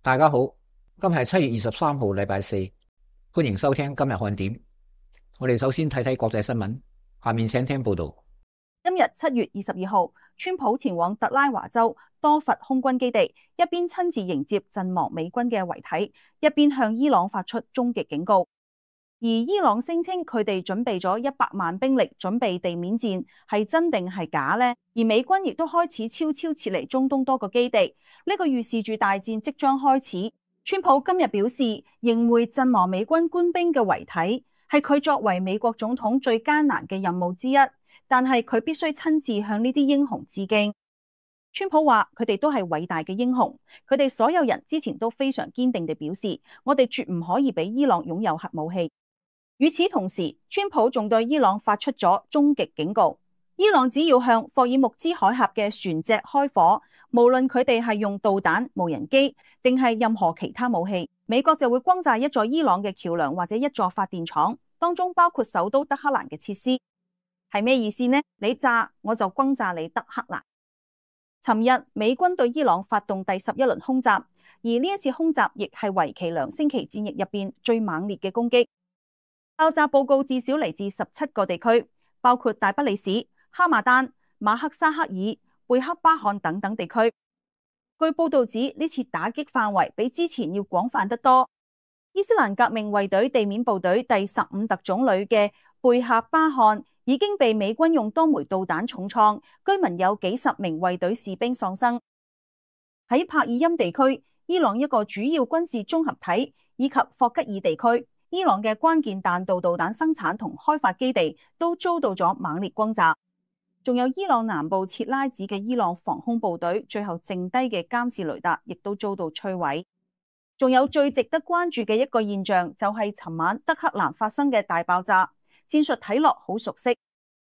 大家好，今日係7月23號，禮拜四，歡迎收聽今日看點。我哋首先睇睇國際新聞，下面請聽報道。今日7月22號，川普前往特拉華州多佛空軍基地，一邊親自迎接陣亡美軍嘅遺體，一邊向伊朗發出終極警告。而伊朗聲稱佢哋準備咗100萬兵力準備地面戰，係真定係假呢？而美軍亦都開始悄悄撤離中東多個基地，呢個預示住大戰即將開始。川普今日表示，迎回陣亡美軍官兵嘅遺體係佢作為美國總統最艱難嘅任務之一，但係佢必須親自向呢啲英雄致敬。川普話佢哋都係偉大嘅英雄，佢哋所有人之前都非常堅定地表示，我哋絕唔可以俾伊朗擁有核武器。與此同時，川普仲對伊朗發出咗終極警告，伊朗只要向霍爾木茲海峽嘅船隻開火，無論佢哋係用導彈、無人機定係任何其他武器，美國就會轟炸一座伊朗嘅橋樑或者一座發電廠，當中包括首都德黑蘭嘅設施。係咩意思呢？你炸我就轟炸你德黑蘭。尋日美軍對伊朗發動第11輪空襲，而呢一次空襲亦係為期2星期戰役入邊最猛烈嘅攻擊。爆炸報告至少嚟自17個地區，包括大不里士、哈馬丹、馬克沙克爾、貝克巴漢等等地區。據報道指，呢次打擊範圍比之前要廣泛得多。伊斯蘭革命衛隊地面部隊第15特種旅嘅貝克巴漢已經被美軍用多枚導彈重創，居民有幾十名衛隊士兵喪生。喺帕爾欽地區，伊朗一個主要軍事綜合體以及霍吉爾地區，伊朗嘅關鍵彈道導彈生產同開發基地都遭到咗猛烈轟炸，仲有伊朗南部切拉子嘅伊朗防空部隊最後剩低嘅監視雷達亦都遭到摧毀。仲有最值得關注嘅一個現象就係尋晚德黑蘭發生嘅大爆炸，戰術睇落好熟悉。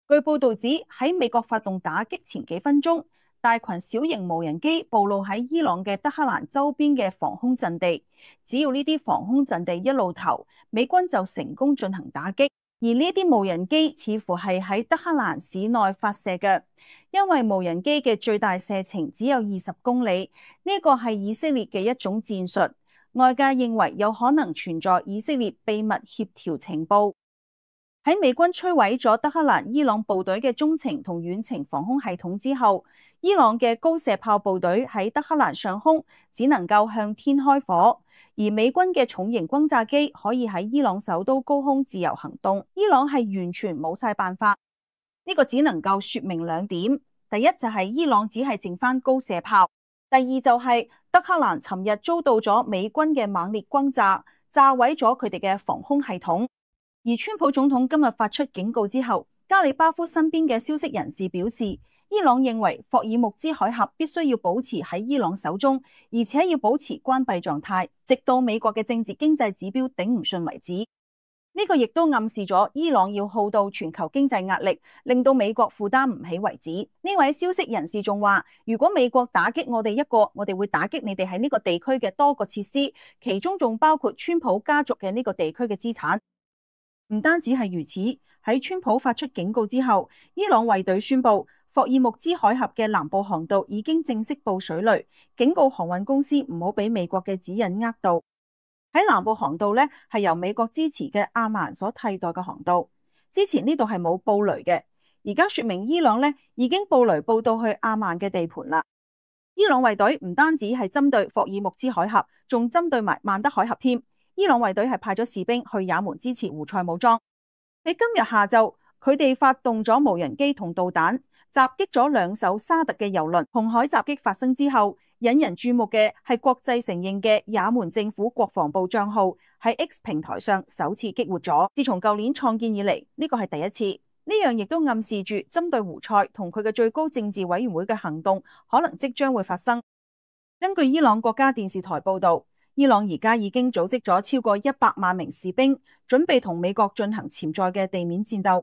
據報道指喺美國發動打擊前幾分鐘，大群小型無人機暴露喺伊朗嘅德黑蘭周邊嘅防空陣地，只要呢啲防空陣地一露頭，美軍就成功進行打擊。而呢啲無人機似乎係喺德黑蘭市內發射嘅，因為無人機嘅最大射程只有20公里，呢個係以色列嘅一種戰術。外界認為有可能存在以色列秘密協調情報。喺美軍摧毀咗德黑蘭伊朗部隊嘅中程同遠程防空系統之後，伊朗嘅高射炮部隊喺德黑蘭上空只能夠向天開火，而美軍嘅重型轟炸機可以喺伊朗首都高空自由行動。伊朗係完全冇晒辦法，呢個只能夠說明2點：第一就係伊朗只係剩翻高射炮，第二就係德黑蘭尋日遭到咗美軍嘅猛烈轟炸，炸毀咗佢哋嘅防空系統。而川普總統今日發出警告之後，加里巴夫身邊嘅消息人士表示，伊朗認為霍爾木茲海峽必須要保持喺伊朗手中，而且要保持關閉狀態，直到美國嘅政治經濟指標頂唔順為止。呢個亦都暗示咗伊朗要耗到全球經濟壓力，令到美國負擔唔起為止。呢位消息人士仲話，如果美國打擊我哋一個，我哋會打擊你哋喺呢個地區嘅多個設施，其中仲包括川普家族嘅呢個地區嘅資產。唔單止係如此，喺川普發出警告之後，伊朗衛隊宣布霍爾木茲海峽嘅南部航道已經正式布水雷，警告航運公司唔好俾美國嘅指引呃到。喺南部航道呢，係由美國支持嘅阿曼所替代嘅航道。之前呢度係冇布雷嘅，而家說明伊朗呢已經布雷布到去阿曼嘅地盤啦。伊朗衛隊唔單止係針對霍爾木茲海峽，仲針對埋曼德海峽添。伊朗衛隊係派咗士兵去也門支持胡塞武裝。喺今日下晝，佢哋發動咗無人機同導彈，襲擊咗2艘沙特嘅油輪。紅海襲擊發生之後，引人注目嘅係國際承認嘅也門政府國防部賬號喺 X 平台上首次激活咗。自從舊年創建以嚟，呢個係第一次。呢樣亦都暗示住針對胡塞同佢嘅最高政治委員會嘅行動可能即將會發生。根據伊朗國家電視台報道，伊朗而家已經組織咗超過100萬名士兵，準備同美國進行潛在嘅地面戰鬥。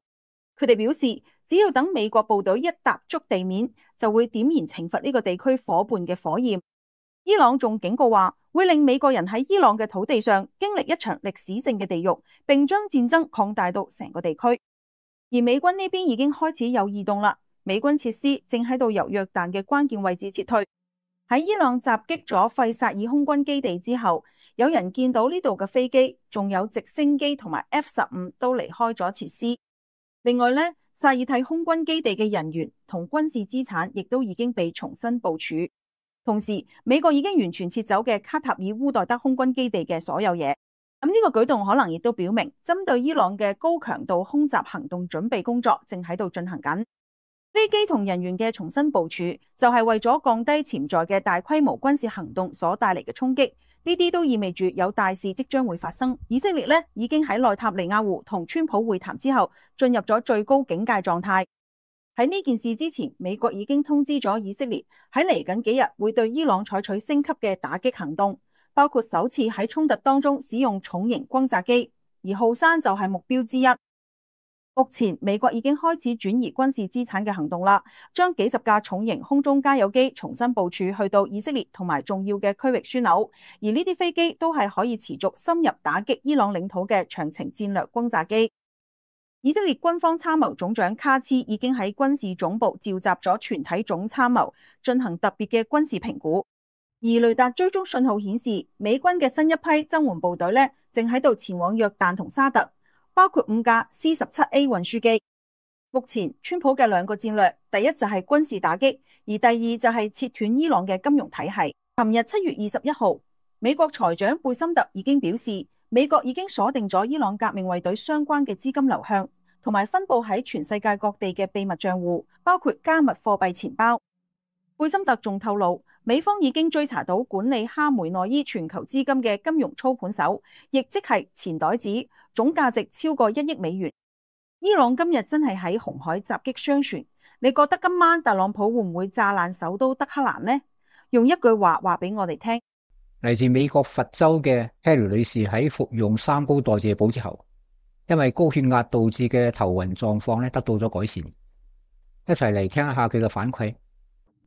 佢哋表示，只要等美國部隊一踏足地面，就會點燃懲罰呢個地區夥伴嘅火焰。伊朗仲警告話，會令美國人喺伊朗嘅土地上經歷一場歷史性嘅地獄，並將戰爭擴大到成個地區。而美軍呢邊已經開始有異動啦，美軍設施正喺度由約旦嘅關鍵位置撤退。喺伊朗襲擊咗費薩爾空軍基地之後，有人見到呢度嘅飛機，仲有直升機同埋 F-15都離開咗設施。另外呢，薩爾蒂空軍基地嘅人員同軍事資產亦都已經被重新部署。同時，美國已經完全撤走嘅卡塔爾烏代德空軍基地嘅所有嘢。咁呢個舉動可能亦都表明，針對伊朗嘅高強度空襲行動準備工作正喺度進行緊。飛機同人員嘅重新部署，就係為咗降低潛在嘅大規模軍事行動所帶嚟嘅衝擊。呢啲都意味住有大事即將會發生。以色列呢已經喺內塔尼亞胡同川普會談之後，進入咗最高警戒狀態。喺呢件事之前，美國已經通知咗以色列喺嚟緊幾日會對伊朗採取升級嘅打擊行動，包括首次喺衝突當中使用重型轟炸機，而浩山就係目標之一。目前美國已經開始轉移軍事資產嘅行動啦，將幾十架重型空中加油機重新部署去到以色列同埋重要嘅區域樞紐，而呢啲飛機都係可以持續深入打擊伊朗領土嘅長程戰略轟炸機。以色列軍方參謀總長卡茨已經喺軍事總部召集咗全體總參謀，進行特別嘅軍事評估。而雷達追蹤信號顯示，美軍嘅新一批增援部隊呢，正喺度前往約旦同沙特，包括5架 C-17A 運輸機。目前川普嘅兩個戰略，第一就係軍事打擊，而第二就係切斷伊朗嘅金融體系。琴日7月21號，美國財長貝森特已經表示，美國已經鎖定咗伊朗革命衛隊相關嘅資金流向，同埋分布喺全世界各地嘅秘密賬戶，包括加密貨幣錢包。貝森特仲透露，美方已經追查到管理哈梅內伊全球資金嘅金融操盤手，亦即係錢袋子，總價值超過1億美元。伊朗今日真係喺紅海襲擊商船，你覺得今晚特朗普會唔會炸爛首都德黑蘭呢？用一句話話俾我哋聽。嚟自美國佛州嘅 Harry 女士喺服用三高代謝補之後，因為高血壓導致嘅頭暈狀況得到咗改善。一齊嚟聽一下佢嘅反饋。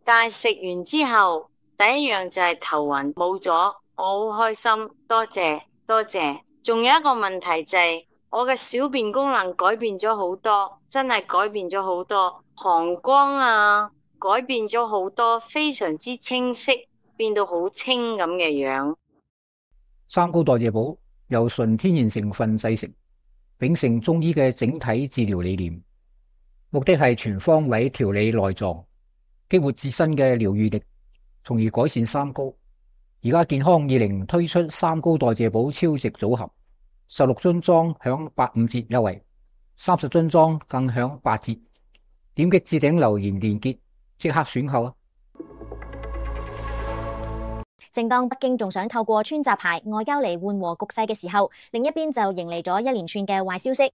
但係食完之後，第一樣就係頭暈冇咗，我好開心，多謝多謝。仲有一個問題就係我嘅小便功能改變咗好多，真係改變咗好多，膀胱啊改變咗好多，非常之清晰，變到好清咁嘅樣。三高代謝補由純天然成分製成，秉承中醫嘅整體治療理念，目的係全方位調理內臟，激活自身嘅療癒力，從而改善三高。而家健康20推出三高代謝補超值組合，16樽裝享85折優惠，30樽裝更享8折。點擊置頂留言連結，即刻選購啊！正當北京仲想透過穿插牌外交嚟緩和局勢嘅時候，另一邊就迎嚟咗一連串嘅壞消息。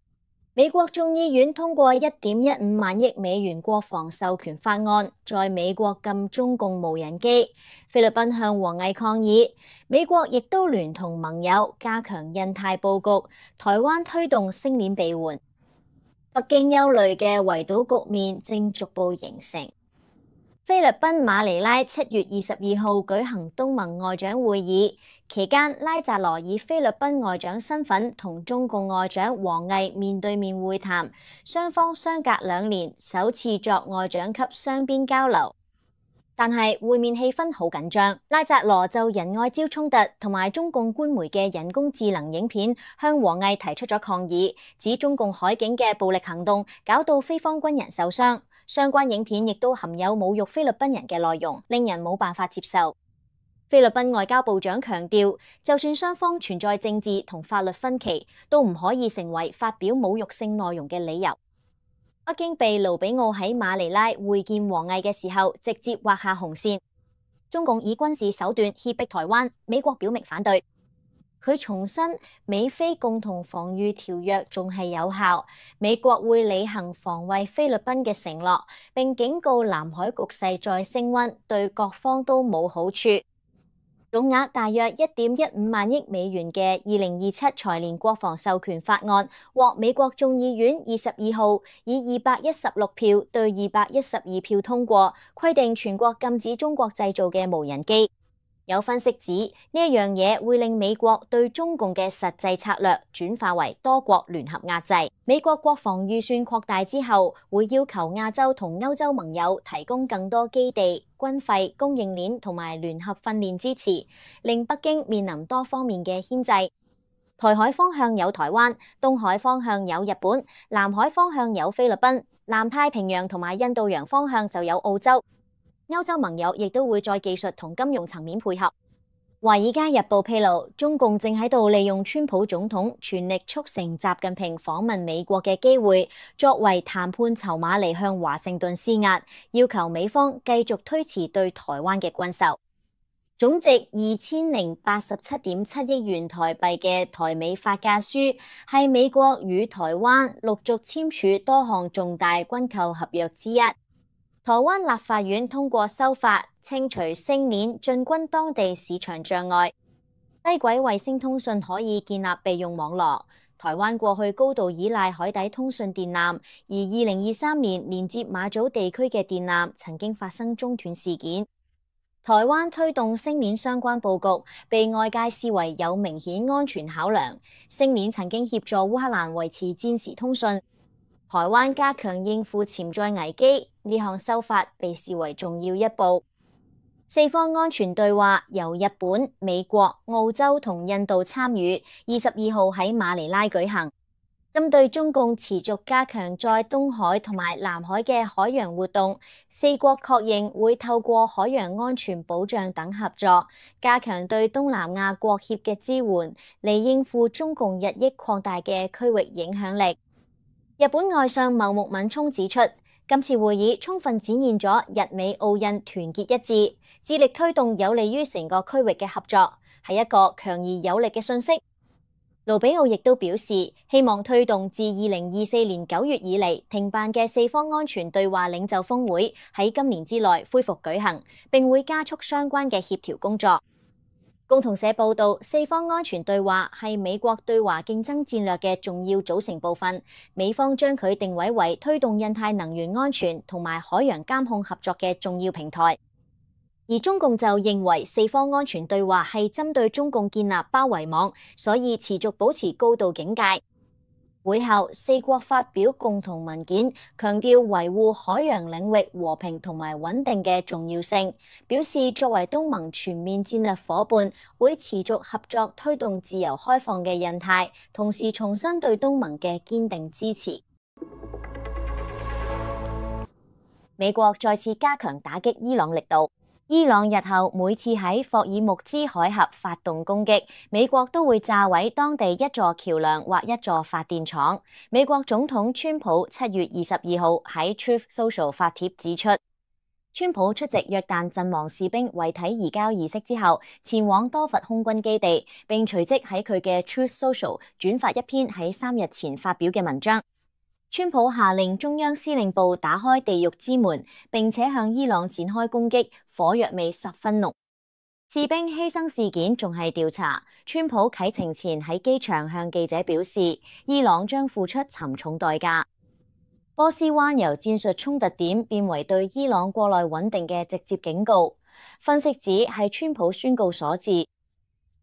美國眾議院通過1.15萬億美元國防授權法案，在美國禁中共無人機。菲律賓向王毅抗議，美國亦都聯同盟友加強印太佈局，台灣推動星鏈備援。北京憂慮嘅圍堵局面正逐步形成。菲律賓馬尼拉7月22號舉行東盟外長會議，期間拉扎羅以菲律賓外長身份同中共外長王毅面對面會談，雙方相隔2年首次作外長級雙邊交流。但係會面氣氛好緊張，拉扎羅就仁愛礁衝突同埋中共官媒嘅人工智能影片向王毅提出咗抗議，指中共海警嘅暴力行動搞到菲方軍人受傷。相關影片亦都含有侮辱菲律賓人嘅內容，令人冇辦法接受。菲律賓外交部長強調，就算雙方存在政治同法律分歧，都唔可以成為發表侮辱性內容嘅理由。北京被盧比奧喺馬尼拉會見王毅嘅時候，直接劃下紅線。中共以軍事手段脅迫台灣，美國表明反對。佢重申美菲共同防禦條約仲係有效，美國會履行防衛菲律賓嘅承諾，並警告南海局勢再升溫，對各方都冇好處。總額大約1.15萬億美元嘅2027財年國防授權法案獲美國眾議院22號以216票對212票通過，規定全國禁止中國製造嘅無人機。有分析指呢一樣嘢會令美國對中共嘅實際策略轉化為多國聯合壓制。美國國防預算擴大之後，會要求亞洲同歐洲盟友提供更多基地、軍費、供應鏈同埋聯合訓練支持，令北京面臨多方面嘅牽制。台海方向有台灣，東海方向有日本，南海方向有菲律賓，南太平洋同埋印度洋方向就有澳洲。歐洲盟友亦都會在技術同金融層面配合。華爾街日報披露，中共正喺度利用川普總統全力促成習近平訪問美國嘅機會，作為談判籌碼嚟向華盛頓施壓，要求美方繼續推遲對台灣嘅軍售。總值2087.7億元台幣嘅台美發價書，係美國與台灣陸續簽署多項重大軍購合約之一。台灣立法院通過修法，清除星鏈進軍當地市場障礙，低軌衛星通訊可以建立備用網絡。台灣過去高度依賴海底通訊電纜，而2023年連接馬祖地區嘅電纜曾經發生中斷事件。台灣推動星鏈相關佈局，被外界視為有明顯安全考量。星鏈曾經協助烏克蘭維持戰時通訊。台灣加強應付潛在危機，呢項修法被視為重要一步。四方安全對話由日本、美國、澳洲同印度參與，22號喺馬尼拉舉行。針對中共持續加強在東海同埋南海嘅海洋活動，四國確認會透過海洋安全保障等合作，加強對東南亞國協嘅支援，嚟應付中共日益擴大嘅區域影響力。日本外相茂木敏充指出，今次會議充分展現咗日美澳印團結一致，致力推動有利於成個區域嘅合作，係一個強而有力嘅訊息。盧比奧亦都表示，希望推動自2024年9月以嚟停辦嘅四方安全對話領袖峰會喺今年之內恢復舉行，並會加速相關嘅協調工作。共同社報道，四方安全對話係美國對華競爭戰略嘅重要組成部分，美方將佢定位為推動印太能源安全同埋海洋監控合作嘅重要平台。而中共就認為四方安全對話係針對中共建立包圍網，所以持續保持高度警戒。會後，四國發表共同文件，強調維護海洋領域和平同埋穩定嘅重要性，表示作為東盟全面戰略夥伴，會持續合作推動自由開放嘅印太，同時重申對東盟嘅堅定支持。美國再次加強打擊伊朗力度。伊朗日後每次喺霍爾木茲海峽發動攻擊，美國都會炸毀當地一座橋樑或一座發電廠。美國總統川普7月22號喺 Truth Social 發帖指出，川普出席約旦陣亡士兵遺體移交儀式之後，前往多佛空軍基地，並隨即喺佢嘅 Truth Social 轉發一篇喺3日前發表嘅文章。川普下令中央司令部打開地獄之門，並且向伊朗展開攻擊，火藥味十分濃。士兵犧牲事件仲係調查。川普啟程前喺機場向記者表示，伊朗將付出沉重代價。波斯灣由戰術衝突點變為對伊朗國內穩定嘅直接警告。分析指係川普宣告所致。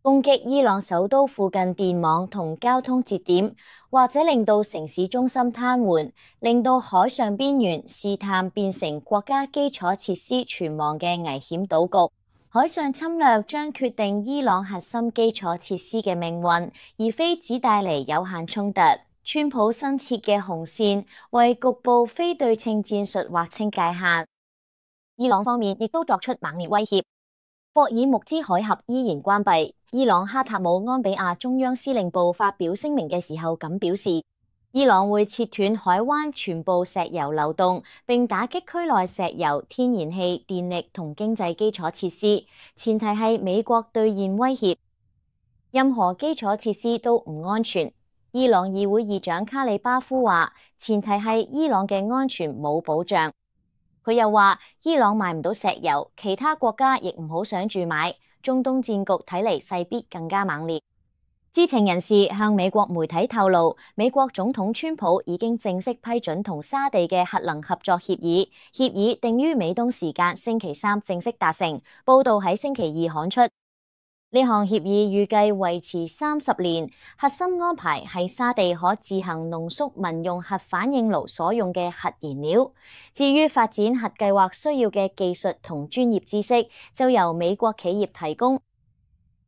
攻擊伊朗首都附近電網同交通節點，或者令到城市中心癱瘓，令到海上邊緣試探變成國家基礎設施存亡嘅危險島局。海上侵略將決定伊朗核心基礎設施嘅命運，而非只帶嚟有限衝突。川普新設嘅紅線為局部非對稱戰術劃清界限。伊朗方面亦都作出猛烈威脅。霍爾木茲海峽依然關閉。伊朗哈塔姆安比亞中央司令部發表聲明嘅時候咁表示，伊朗會切斷海灣全部石油流動，並打擊區內石油、天然氣、電力同經濟基礎設施，前提係美國兌現威脅。任何基礎設施都唔安全。伊朗議會議長卡里巴夫話，前提係伊朗嘅安全冇保障。佢又話，伊朗買唔到石油，其他國家亦唔好想住買。中東戰局睇嚟勢必更加猛烈。知情人士向美國媒體透露，美國總統川普已經正式批准同沙地嘅核能合作協議，協議定於美東時間星期三正式達成，報道喺星期二刊出。呢項協議預計維持30年，核心安排係沙地可自行濃縮民用核反應爐所用嘅核燃料，至於發展核計劃需要嘅技術同專業知識，就由美國企業提供。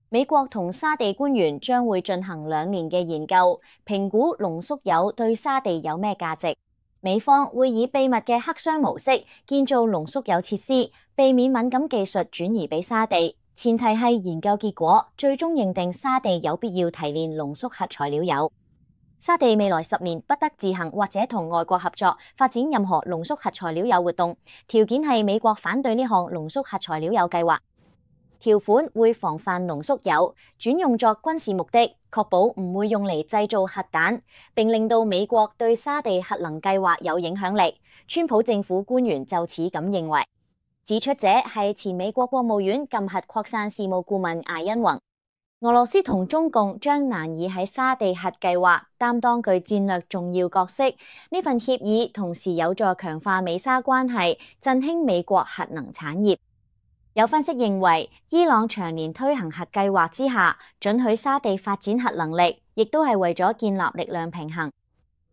美國同沙地官員將會進行2年嘅研究，評估濃縮鈾對沙地有咩價值。美方會以秘密嘅黑箱模式建造濃縮鈾設施，避免敏感技術轉移俾沙地。前提係研究結果最終認定沙地有必要提煉濃縮核材料鈾。沙地未來10年不得自行或者同外國合作發展任何濃縮核材料鈾活動，條件係美國反對呢項濃縮核材料鈾計劃。條款會防範濃縮鈾轉用作軍事目的，確保唔會用嚟製造核彈，並令到美國對沙地核能計劃有影響力。川普政府官員就此咁認為。指出者係前美國國務院禁核擴散事務顧問艾因宏。俄羅斯同中共將難以喺沙地核計劃擔當具戰略重要角色。呢份協議同時有助強化美沙關係，振興美國核能產業。有分析認為，伊朗長年推行核計劃之下，准許沙地發展核能力，亦都係為咗建立力量平衡。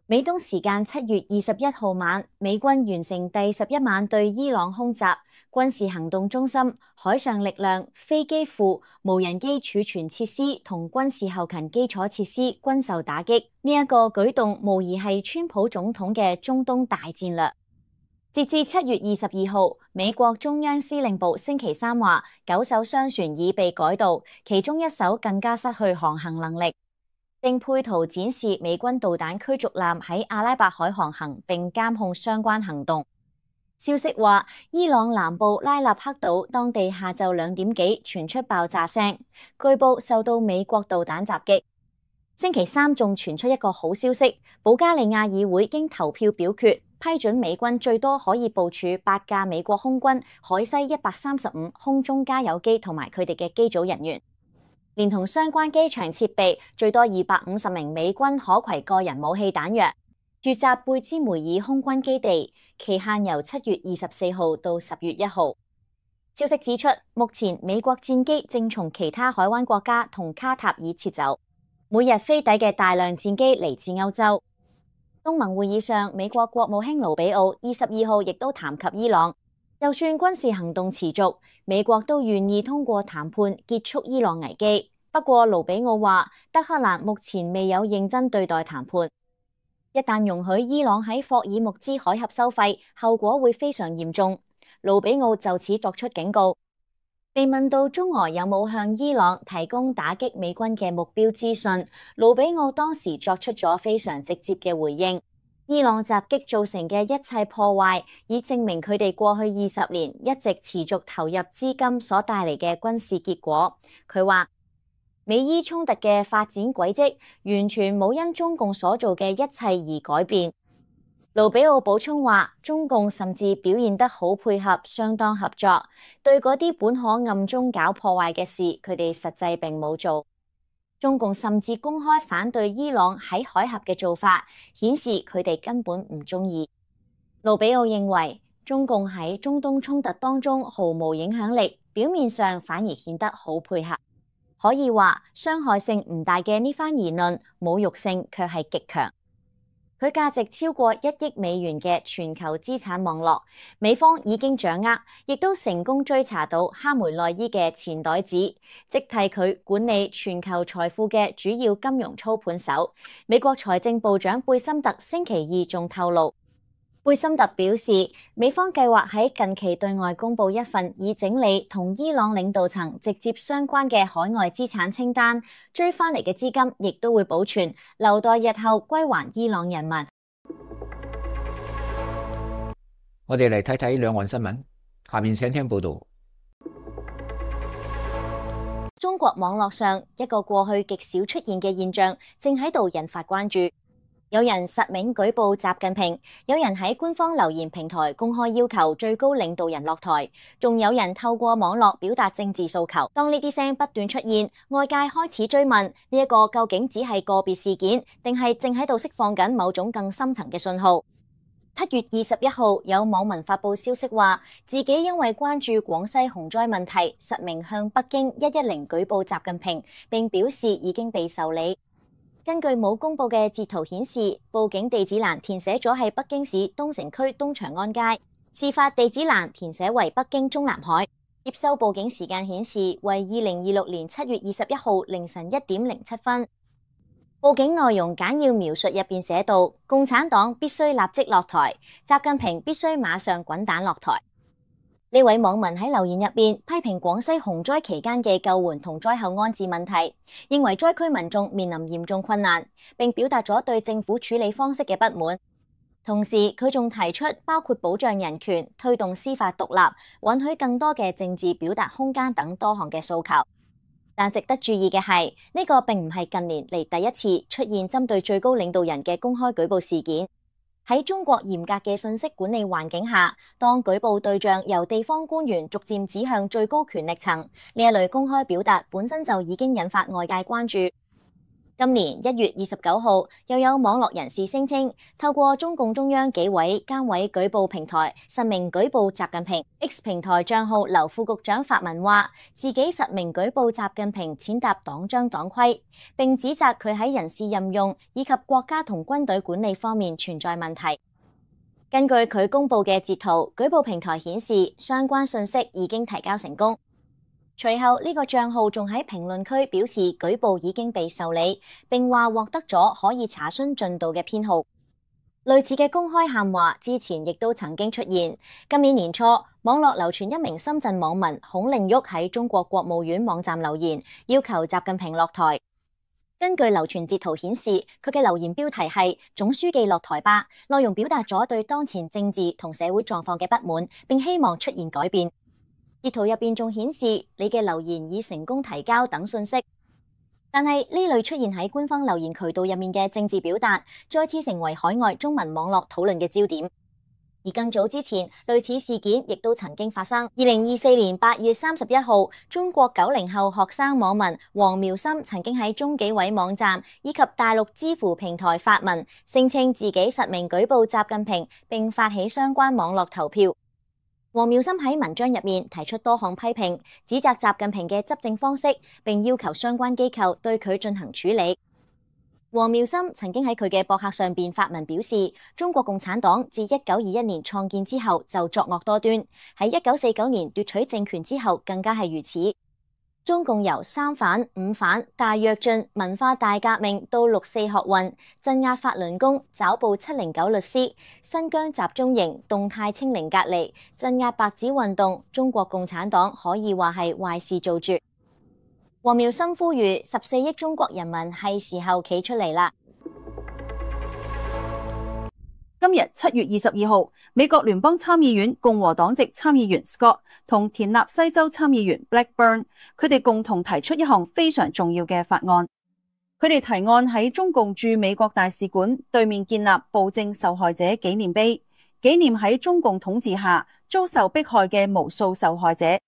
美東時間7月21號晚，美軍完成第11晚對伊朗空襲。軍事行動中心、海上力量、飛機庫、無人機儲存設施同軍事後勤基礎設施均受打擊。呢一個舉動無疑係川普總統嘅中東大戰略。截至7月22號，美國中央司令部星期三話，9艘商船已被改道，其中1艘更加失去航行能力，並配圖展示美軍導彈驅逐艦喺阿拉伯海航行，並監控相關行動。消息話，伊朗南部拉納克島當地下晝2點幾傳出爆炸聲，據報受到美國導彈襲擊。星期三仲傳出一個好消息，保加利亞議會經投票表決，批准美軍最多可以部署8架美國空軍海西135空中加油機同埋佢哋嘅機組人員，連同相關機場設備，最多250名美軍可攜個人武器彈藥，駐紮貝茲梅爾空軍基地。期限由7月24號到10月1號。消息指出，目前美國戰機正從其他海灣國家同卡塔爾撤走，每日飛抵嘅大量戰機嚟自歐洲。東盟會議上，美國國務卿盧比奧22號亦都談及伊朗，就算軍事行動持續，美國都願意通過談判結束伊朗危機。不過，盧比奧話，德黑蘭目前未有認真對待談判。一旦容許伊朗喺霍爾木茲海峽收費，後果會非常嚴重。盧比奧就此作出警告。被問到中俄有冇向伊朗提供打擊美軍嘅目標資訊，盧比奧當時作出咗非常直接嘅回應。伊朗襲擊造成嘅一切破壞，以證明佢哋過去20年一直持續投入資金所帶嚟嘅軍事結果。佢話，美伊衝突嘅發展軌跡完全冇因中共所做嘅一切而改變。盧比奧補充話，中共甚至表現得好配合，相當合作，對嗰啲本可暗中搞破壞嘅事，佢哋實際並冇做。中共甚至公開反對伊朗喺海峽嘅做法，顯示佢哋根本唔中意。盧比奧認為，中共喺中東衝突當中毫無影響力，表面上反而顯得好配合。可以話，傷害性唔大嘅呢番言論，侮辱性卻係極強。佢價值超過1億美元嘅全球資產網絡，美方已經掌握，亦都成功追查到哈梅內伊嘅錢袋子，即替佢管理全球財富嘅主要金融操盤手。美國財政部長貝森特星期二仲透露，貝森特表示，美方計劃喺近期對外公佈一份以整理同伊朗領導層直接相關嘅海外資產清單，追翻嚟嘅資金亦都會保存，留待日後歸還伊朗人民。我哋嚟睇睇兩岸新聞，下面請聽報道。中國網絡上一個過去極少出現嘅現象，正喺度引發關注。有人實名舉報習近平，有人喺官方留言平台公開要求最高領導人落台，仲有人透過網絡表達政治訴求。當呢啲聲不斷出現，外界開始追問呢一個究竟只係個別事件，定係正喺度釋放緊某種更深層嘅信號？7月21號，有網民發佈消息話，自己因為關注廣西洪災問題，實名向北京110舉報習近平，並表示已經被受理。根據冇公佈嘅截圖顯示，報警地址欄填寫咗係北京市東城區東長安街，事發地址欄填寫為北京中南海，接收報警時間顯示為2026年7月21號凌晨1點07分。報警內容簡要描述入邊寫到：共產黨必須立即落台，習近平必須馬上滾蛋落台。呢位網民喺留言入邊批評廣西洪災期間嘅救援同災後安置問題，認為災區民眾面臨嚴重困難，並表達咗對政府處理方式嘅不滿。同時，佢仲提出包括保障人權、推動司法獨立、允許更多嘅政治表達空間等多項嘅訴求。但值得注意嘅係，呢個並唔係近年嚟第一次出現針對最高領導人嘅公開舉報事件。喺中國嚴格嘅信息管理環境下，當舉報對象由地方官員逐漸指向最高權力層，呢一類公開表達本身就已經引發外界關注。今年1月29號，又有網絡人士聲稱，透過中共中央紀委監委舉報平台實名舉報習近平。X 平台賬號劉副局長發文話，自己實名舉報習近平踐踏黨章黨規，並指責佢喺人事任用以及國家同軍隊管理方面存在問題。根據佢公佈嘅截圖，舉報平台顯示相關信息已經提交成功。隨後呢個賬號仲喺評論區表示舉報已經被受理，並話獲得咗可以查詢進度嘅編號。類似嘅公開喊話之前亦都曾經出現。今年年初，網絡流傳一名深圳網民孔令旭喺中國國務院網站留言，要求習近平落台。根據流傳截圖顯示，佢嘅留言標題係總書記落台吧，內容表達咗對當前政治同社會狀況嘅不滿，並希望出現改變。截圖入邊仲顯示你嘅留言已成功提交等信息，但係呢類出現喺官方留言渠道入面嘅政治表達，再次成為海外中文網絡討論嘅焦點。而更早之前，類似事件亦都曾經發生。2024年8月31號，中國90後學生網民黃苗森曾經喺中紀委網站以及大陸知乎平台發文，聲稱自己實名舉報習近平，並發起相關網絡投票。黃苗森喺文章入面提出多項批評，指責習近平嘅執政方式，並要求相關機構對佢進行處理。黃苗森曾經喺佢嘅博客上邊發文表示，中國共產黨自1921年創建之後就作惡多端，喺1949年奪取政權之後更加係如此。中共由三反、五反、大躍進、文化大革命到六四學運，鎮壓法輪功、抓捕709律師、新疆集中營、動態清零隔離、鎮壓白紙運動，中國共產黨可以話係壞事做絕。黃苗森呼籲14億中國人民係時候企出嚟啦。今日7月22號，美國聯邦參議院共和黨籍參議員 Scott 同田納西州參議員 Blackburn， 佢哋共同提出一項非常重要嘅法案。佢哋提案喺中共駐美國大使館對面建立暴政受害者紀念碑，紀念喺中共統治下遭受迫害嘅無數受害者。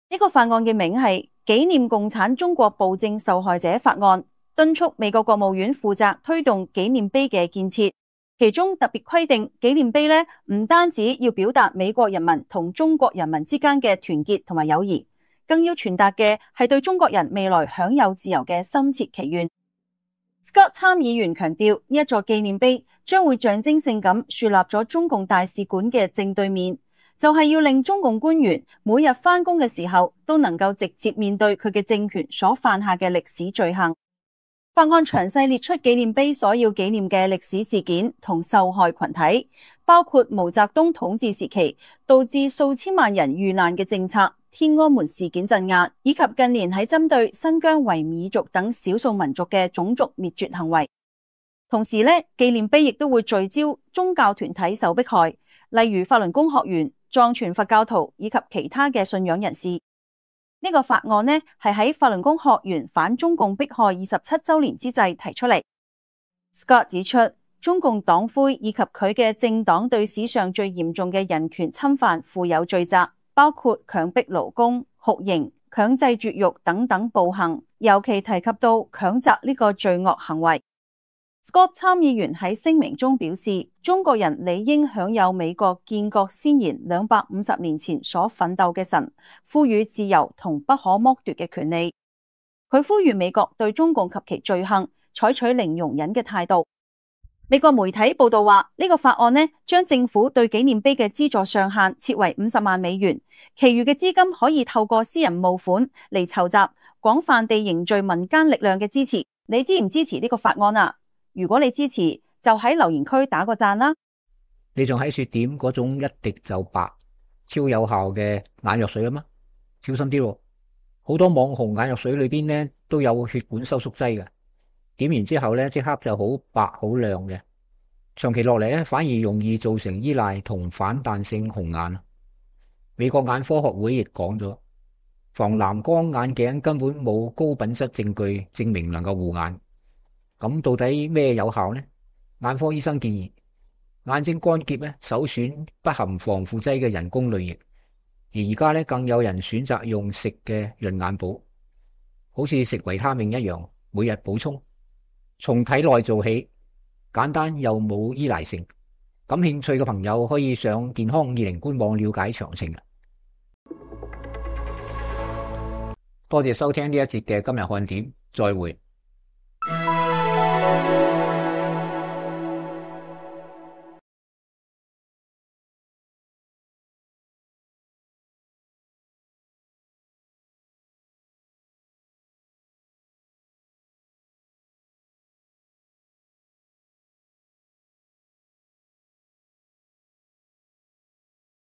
呢個法案嘅名係紀念共產中國暴政受害者法案，敦促美國國務院負責推動紀念碑嘅建設。其中特別規定，紀念碑呢唔單止要表達美國人民同中國人民之間嘅團結同埋友誼，更要傳達嘅係對中國人未來享有自由嘅深切祈願。Scott 參議員強調，呢一座紀念碑將會象徵性咁樹立咗中共大使館嘅正對面，就係要令中共官員每日返工嘅時候都能夠直接面對佢嘅政權所犯下嘅歷史罪行。法案詳細列出紀念碑所要紀念嘅歷史事件同受害群體，包括毛澤東統治時期導致數千萬人遇難嘅政策、天安門事件鎮壓，以及近年喺針對新疆維吾爾族等少數民族嘅種族滅絕行為。同時呢，紀念碑亦都會聚焦宗教團體受迫害，例如法輪功學員、藏傳佛教徒以及其他嘅信仰人士。呢個法案呢係喺法輪功學員反中共迫害27週年之際提出嚟。Scott 指出，中共黨魁以及佢嘅政黨對史上最嚴重嘅人權侵犯負有罪責，包括強迫勞工、酷刑、強制絕育等等暴行，尤其提及到強襲呢個罪惡行為。Scott 參議員喺聲明中表示，中國人理應享有美國建國先賢250年前所奮鬥嘅神賦予自由同不可剝奪嘅權利。佢呼籲美國對中共及其罪行採取零容忍嘅態度。美國媒體報道話，呢個法案呢將政府對紀念碑嘅資助上限設為50萬美元，其餘嘅資金可以透過私人募款嚟籌集，廣泛地凝聚民間力量嘅支持。你支唔支持呢個法案啊？如果你支持，就喺留言區打個讚啦。你仲喺說點嗰種一滴就白、超有效嘅眼藥水啊嘛？小心啲喎，好多網紅眼藥水裏邊呢都有血管收縮劑嘅，點完之後呢即刻就好白好亮嘅，長期落嚟呢反而容易造成依賴同反彈性紅眼。美國眼科學會亦講咗，防藍光眼鏡根本冇高品質證據證明能夠護眼。咁到底咩有效呢？眼科醫生建議眼睛乾澀呢首選不含防腐劑嘅人工淚液，而家呢更有人選擇用食嘅潤眼寶，好似食維他命一樣，每日補充，從體內做起，簡單又冇依賴性。感興趣嘅朋友可以上健康20官網了解詳情。多謝收聽呢一節嘅今日看點，再會。